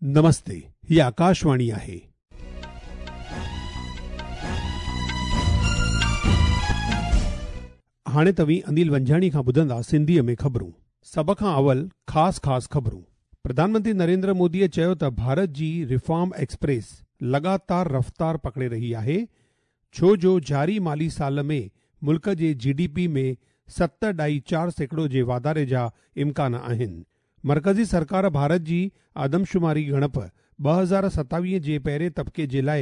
نمستي، هي آڪاشواڻي آهي. هاڻي توهين انيل ونجهاڻي کان ٻڌندا سنڌيء ۾ خبرون. سڀ کان اول خاص خاص خبرون. پرڌان منتري نريندر موديء چيو ته ڀارت جي ريفارم ايڪسپريس لڳاتار رفتار پڪڙي رهي آهي ڇو جو جاري مالي سال ۾ ملڪ جي جي ڊي پي ۾ 7.4% جي واڌاري جا امڪان آهن. مرڪزي سرڪار ڀارت جي آدمشماري ڳڻپ 2027 جي پهرين طبقي جي لاء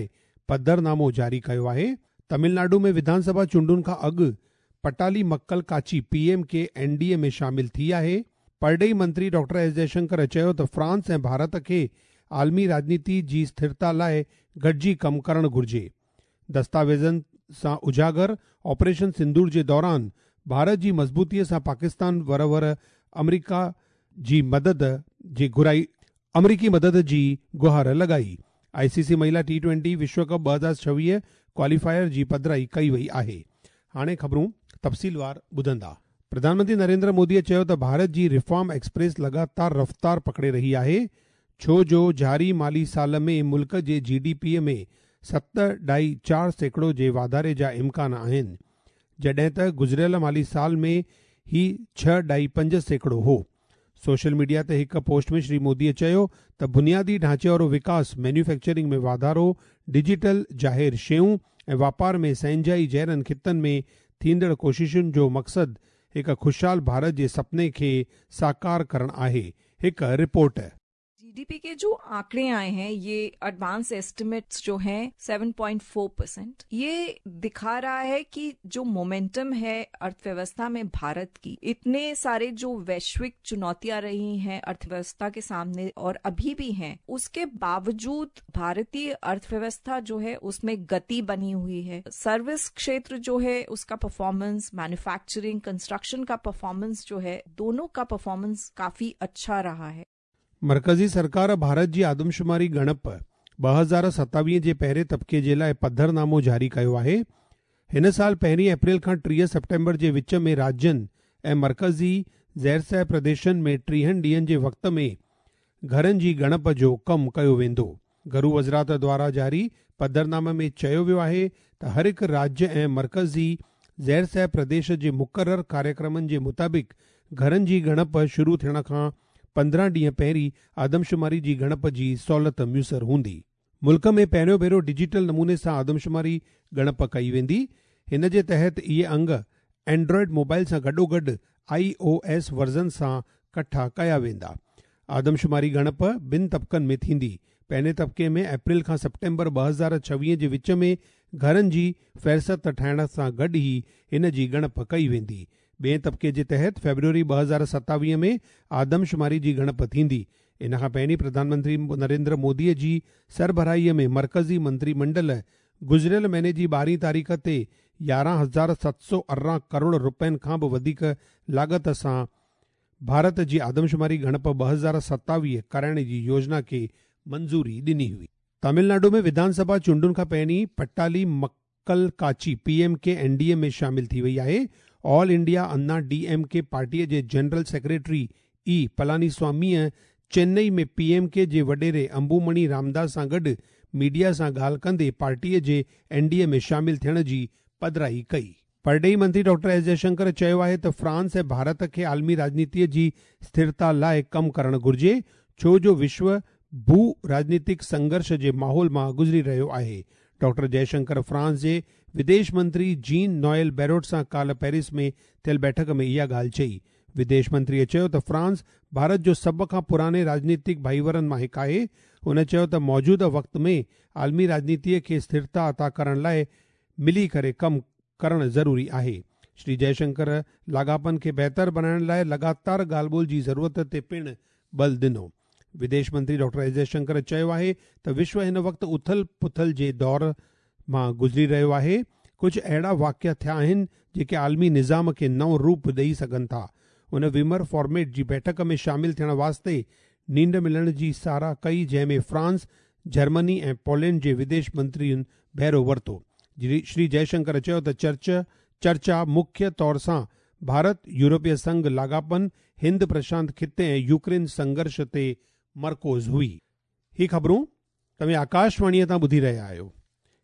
پڌرنامو جاري ڪيو آهي. تامل ناڊو ۾ وڌان سڀا چونڊن کان اڳ Pattali Makkal Katchi, P M K, N D A ۾ شامل ٿي آهي. پرڏيهي منتري ڊاڪٽر ايس جئشنڪر چيو ته فرانس ۽ ڀارت کي عالمي راڄنيتي جي اسٿرتا لاء گڏجي ڪم ڪرڻ گهرجي. دستاويزن سان اجاگر آپريشن سندور جي دوران ڀارت جي مضبوطي سان پاڪستان ور ور آمريڪا جي مدد جي گهرائي آمريڪي مدد جي گهار لڳائي. آء سي سي مهيلا ٽي ٽوئنٽي وشو ڪپ 2026 ڪواليفائر جي پڌرائي ڪئي وئي آهي. هاڻي خبرون تفصيلوار ٻڌندا. پرڌان منتري نريندر موديء چيو ته ڀارت جي ريفارم ايڪسپريس لڳاتار رفتار پڪڙي رهي آهي ڇو جو جاري مالي سال ۾ ملڪ جي جي ڊي پي ۾ 7.4% جي واڌاري جا امڪان آهن جڏهن ته گذريل مالي سال ۾ هي 6.5% هو. سوشل ميڊيا تي هڪ پوسٽ ۾ شري موديء چيو ته بنيادي ڍانچي وارو وڪاس، مينوفيڪچرنگ ۾ واڌارو، ڊجيٽل ظاهر شيون ۽ واپار ۾ سهنجائي جهڙن خطن ۾ ٿيندڙ ڪوششن جو مقصد هڪ خوشحال ڀارت جي سپني کي ساڪار ڪرڻ آهي. هڪ رپورٽ. जीडीपी के जो आंकड़े आए हैं ये एडवांस एस्टिमेट्स जो हैं 7.4%, ये दिखा रहा है कि जो मोमेंटम है अर्थव्यवस्था में भारत की, इतने सारे जो वैश्विक चुनौतियां रही हैं अर्थव्यवस्था के सामने और अभी भी हैं, उसके बावजूद भारतीय अर्थव्यवस्था जो है उसमें गति बनी हुई है। सर्विस क्षेत्र जो है उसका परफॉर्मेंस, मैन्युफैक्चरिंग, कंस्ट्रक्शन का परफॉर्मेंस जो है, दोनों का परफॉर्मेंस काफी अच्छा रहा है। मर्कज़ी सरकार भारत जी आदमशुमारी ॻणप 2027 जे पहिरें तबिके जे लाइ पधरनामो जारी कयो आहे। हिन साल 1 अप्रैल खां 30 सेप्टेम्बर जे विच में राज्यनि ऐं मर्कज़ी ज़ेरसह प्रदेशनि में 30 ॾींहनि जे वक़्त में घरनि जी ॻणप जो कमु कयो वेंदो। घरू वज़ारत द्वारा जारी पधरनामे में चयो वियो आहे त हर हिकु राज्य ऐं मर्कज़ी ज़ेरसह प्रदेश जे मुक़ररु कार्यक्रमनि जे मुताबिक़ घरनि जी ॻणप शुरू थियण खां 15 ॾींहं पहिरीं आदमशुमारी जी ॻणप जी सहूलियत मुयसर हूंदी। मुल्क में पहिरियों भेरो डिजिटल नमूने सां आदमशुमारी ॻणप कई वेंदी। हिन जे तहत इहे अंग एंड्रॉइड मोबाइल सां गॾोगॾु आई ओ एस वर्ज़न सां कठा कया वेंदा। आदमशुमारी ॻणप ॿिनि तबिकनि में थींदी। पहिरें तबिके में अप्रैल खां सेप्टेम्बर 2026 जे विच में घरनि जी फ़हरिस्त ठाहिण सां गॾु ई हिन जी ॻणप कई वेंदी। ॿिए तबिके जे तहत फेब्रुअरी 2027 में आदमशुमारी जी ॻणप थींदी। इन खां पहिरीं प्रधानमंत्री नरेंद्र मोदीअ जी सरबराहीअ में मर्कज़ी मंत्रीमंडल गुज़िरियल महीने जी 12 तारीख़ ते 11,718 करोड़ रुपयनि खां बि वधीक लागत सां भारत जी आदमशुमारी ॻणप 2027 कराइण जी योजना खे मंज़ूरी ॾिनी हुई। तमिलनाडु में विधानसभा चूंडुनि खां पहिरीं Pattali Makkal Katchi P M K N D A में शामिल थी वई आहे। All India Anna D M K पार्टीअ जे जनरल सेक्रेटरी ई पलानीस्वामीअ चेन्नई में पी एम के जे वॾेरे अंबुमणि रामदास सां गॾु मीडिया सां ॻाल्हि कंदे पार्टीअ जे एन डी ए में शामिल थियण जी पधराई कई। परॾेही मंत्री डॉक्टर एस जयशंकर चयो आहे त फ्रांस ऐं भारत खे आलमी राजनीतीअ जी स्थिरता लाइ कमु करणु घुरिजे, छो जो विश्व भू राजनीतिक संघर्ष जे माहौल मां गुज़री रहियो आहे। डॉक्टर जयशंकर फ्रांस जे विदेश मंत्री जीन नोएल बैरोट सां काल्हि पेरिस में थियल बैठक में इहा ॻाल्हि चई। विदेश मंत्रीअ चयो त फ्रांस भारत जो सभ खां पुराणे राजनीतिक भाईवरनि मां हिकु आहे। हुन चयो त मौजूदा वक़्त में आलमी राजनीतीअ खे स्थिरता अता करण लाइ मिली करे कमु करणु ज़रूरी आहे। श्री जयशंकर लाॻापनि खे बहितर बणाइण लाइ लगातार ॻाल्हि ॿोल जी ज़रूरत ते पिणु बल ॾिनो। विदेश मंत्री डॉक्टर एस जयशंकर चयो आहे त विश्व हिन वक़्तु उथल पुथल जे दौर मां गुज़री रहियो आहे। कुझु अहिड़ा वाक़िया थिया आहिनि जेके आलमी निज़ाम खे नओं रूप ॾेई सघनि था। उन विमर फॉर्मेट जी बैठक में शामिल थियण वास्ते नींड मिलण जी सराह कई, जंहिंमें फ्रांस, जर्मनी ऐं पोलैंड जे विदेश मंत्रियुनि बहिरो वरितो। श्री जयशंकर चयो त चर्चा मुख्य तौर सां भारत यूरोपीय संघ लाॻापनि, हिंद प्रशांत खिते ऐं यूक्रेन संघर्ष ते मरकूज़ हुई। هي خبرون توهين آڪاشواڻيء تان ٻڌي رهيا آهيو.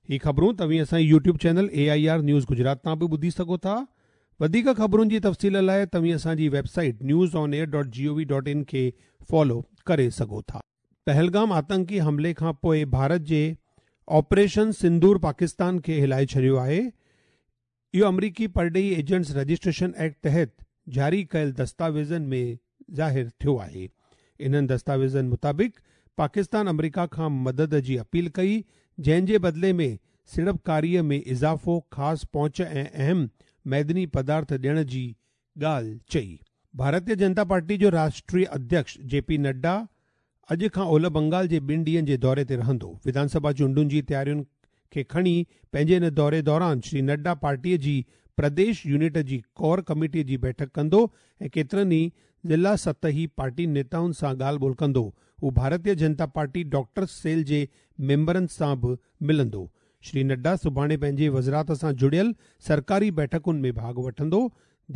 هي خبرون توهين اسان جي YouTube channel A I R news Gujarat تان به ٻڌي سگهو ٿا. وڌيڪ خبرن جي تفصيل لاء توهين اسان جي website news on air dot G O V dot in کي فالو ڪري سگهو ٿا. پهلگام آتنڪي حملي کان پوء ڀارت جي آپريشن سندور پاڪستان کي هلائي ڇڏيو آهي. اهو آمريڪي پرڏيهي ايجنٽس رجسٽريشن ايڪٽ تحت جاري ڪيل دستاويزن ۾ ظاهر ٿيو آهي. انهن دستاويزن مطابق پاڪستان آمريڪا کان مدد جي اپيل ڪئي جنهن جي بدلي ۾ سيڙپڪاري ۾ اضافو، خاص پهچ ۽ اهم معدني پدارٿ ڏيڻ جي ڳالهه چئي. ڀارتيه جنتا پارٽي جو راشٽريه اڌيڪش جي پي نڊا اڄ کان اولهه بنگال جي ٻن ڏينهن جي دوري تي رهندو. وڌان سڀا چونڊن جي تيارين کي کڻي پنهنجي ان دوري دوران شري نڊا پارٽي جي پرديش يونٽ جي ڪور ڪميٽي جي بيٺڪ ڪندو ۽ ڪيترن ئي ضلع سطحي پارٽي نيتائن سان ڳالهه ٻولهه ڪندو. هو ڀارتيه جنتا پارٽي ڊاڪٽرس سيل جي ميمبرن سان به ملندو. شري نڊا سڀاڻي پنهنجي وزارت سان جڙيل سرڪاري بيٺڪن ۾ ڀاڳ وٺندو.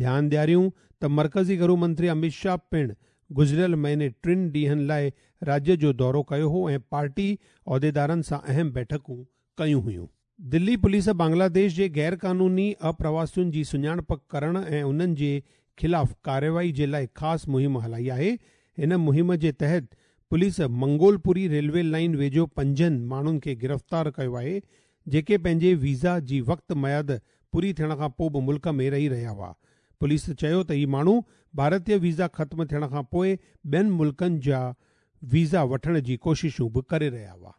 ڌيان ڏياريون ته مرڪزي گهرو منتري اميت شاهه پڻ گذريل مهيني ٽن ڏينهن لاء راجيه جو دورو ڪيو هو ۽ پارٽي عهديدارن سان اهم بيٺڪون ڪيون هيون. دلي پوليس بنگلاديش جي غيرقانوني اپرواسين جي سڃاڻپ ڪرڻ ۽ انهن جي خلاف ڪارروائي جي لاء خاص مهم هلائي آهي. هن مهم جي تحت پوليس منگولپوري ريلوي لائين ويجهو پنجن ماڻهن کي گرفتار ڪيو آهي جيڪي پنهنجي ويزا جي وقت ميعاد پوري ٿيڻ کان پوء به ملڪ ۾ رهي رهيا هئا. پوليس چيو ته هي ماڻهو ڀارتي ويزا ختم ٿيڻ کان پوء ٻين ملڪن جا ويزا وٺڻ جي ڪوششون به ڪري رهيا هئا.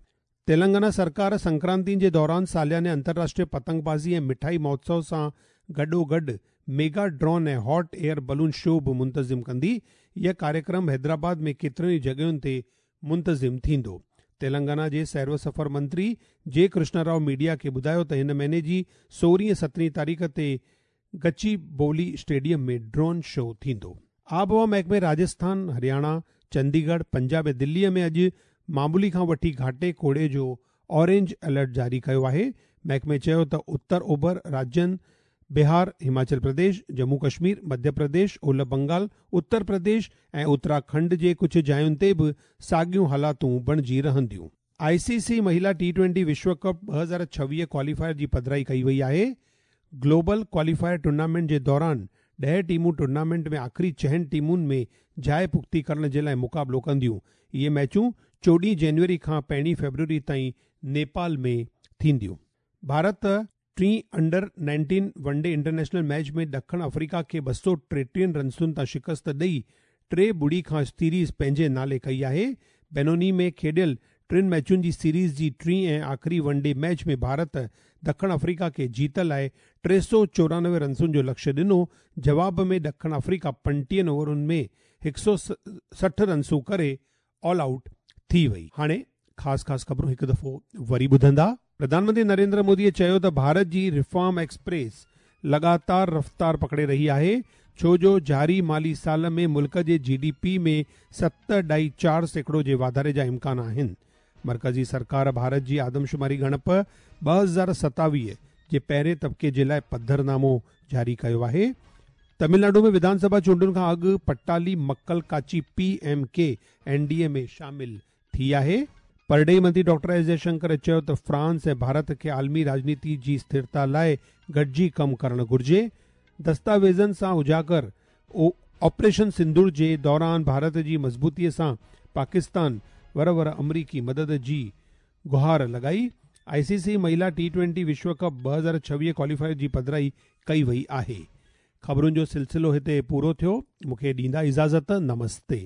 تيلنگانا سرڪار سنڪرانتي جي دوران سالياني انترراشٽريه پتنگ بازي ۽ مٺائي مهوتسو سان گڏوگڏ mega drone ۽ hot air balloon show به منتظم ڪندي. هيء ڪاريڪرم حيدرآباد ۾ ڪيترين ئي جڳهين تي منتظم ٿيندو. تيلنگانا جي سير و سفر منتري جي ڪرشنا رائو ميڊيا کي ٻڌايو ته هن مهيني جي سورهين ۽ سترهين تاريخ تي گچي بولي اسٽيڊيم ۾ ڊرون شو ٿيندو. آبهوا محڪمي راجسٿان، هرياڻا، چنديڳڙهه، پنجاب ۽ دلي ۾ اڄ معمولي کان وٺي گهاٽي ڪوڙي جو اورينج الرٽ جاري ڪيو آهي. محڪمي چيو ته اتر اوڀر راجين بهار، هماچل پرديش، ڄمون ڪشمير، مڌيه پرديش، اولهه بنگال، اتر پرديش ۽ اترا کنڊ جي ڪجهه جاين تي به ساڳيون حالاتون بڻجي رهنديون. آء سي سي مهيلا ٽي ٽوئنٽي وشو ڪپ 2026 ڪواليفائر جي پڌرائي ڪئي وئي آهي. گلوبل ڪواليفائر ٽورنامينٽ جي دوران ڏهه ٽيمون ٽورنامينٽ ۾ آخري چئن ٽيمن ۾ جاء پختي ڪرڻ جي لاء مقابلو ڪنديون. اهي ميچون 14 جنوري کان پهرين فيبروري تائين نيپال ۾ ٿينديون. ڀارت ٽين under 19 one day international match ۾ ڏکڻ آفريڪا کي 233 رنسن تان شڪست ڏئي 3-0 کان سيريز پنهنجي نالي ڪئي آهي. بينوني ۾ کيڏيل ٽن ميچن جي سيريز جي ٽين ۽ آخري ون ڊي ميچ ۾ ڀارت ڏکڻ آفريڪا کي جيت لاء 394 رنسن جو لڪشيه ڏنو، جواب ۾ ڏکڻ آفريڪا 35 اوورن ۾ 160 رنسون ڪري آل آئوٽ ٿي وئي. هاڻي خاص خاص خبرون هڪ دفعو وري ٻڌندا. پرڌان منتري نريندر مودي چيو ته ڀارت جي ريفارم ايڪسپريس لڳاتار رفتار پڪڙي رهي آهي ڇو جو جاري مالي سال ۾ ملڪ جي جي ڊي پي ۾ 7.4% جي واڌاري جا امڪان آهن. مرڪزي سرڪار ڀارت جي آدمشماري ڳڻپ 2027 جي پهرين طبقي جي لاء پڌرنامو جاري ڪيو آهي. تمل ناڊو ۾ وڌان سڀا چونڊن کان اڳ پٽالي مڪل ڪاچي P M K N D A ۾ شامل ٿي آهي. پرڏيهي منتري ڊاڪٽر ايس جئشنڪر چيو ته فرانس ۽ ڀارت کي عالمي راڄنيتي جي اسٿرتا لاء گڏجي ڪم ڪرڻ گهرجي. دستاويزن سان اجاگر آپريشن سندور جي دوران ڀارت جي مضبوطي سان پاڪستان ور ور آمريڪي مدد جي گهار لڳائي. آء سي سي مهيلا ٽي ٽوئنٽي وشو ڪپ 2026 ڪواليفائر جي پڌرائي ڪئي وئي آهي. خبرن جو سلسلو هتي پورو ٿيو. مون کي ڏيندا اجازت. نمستي.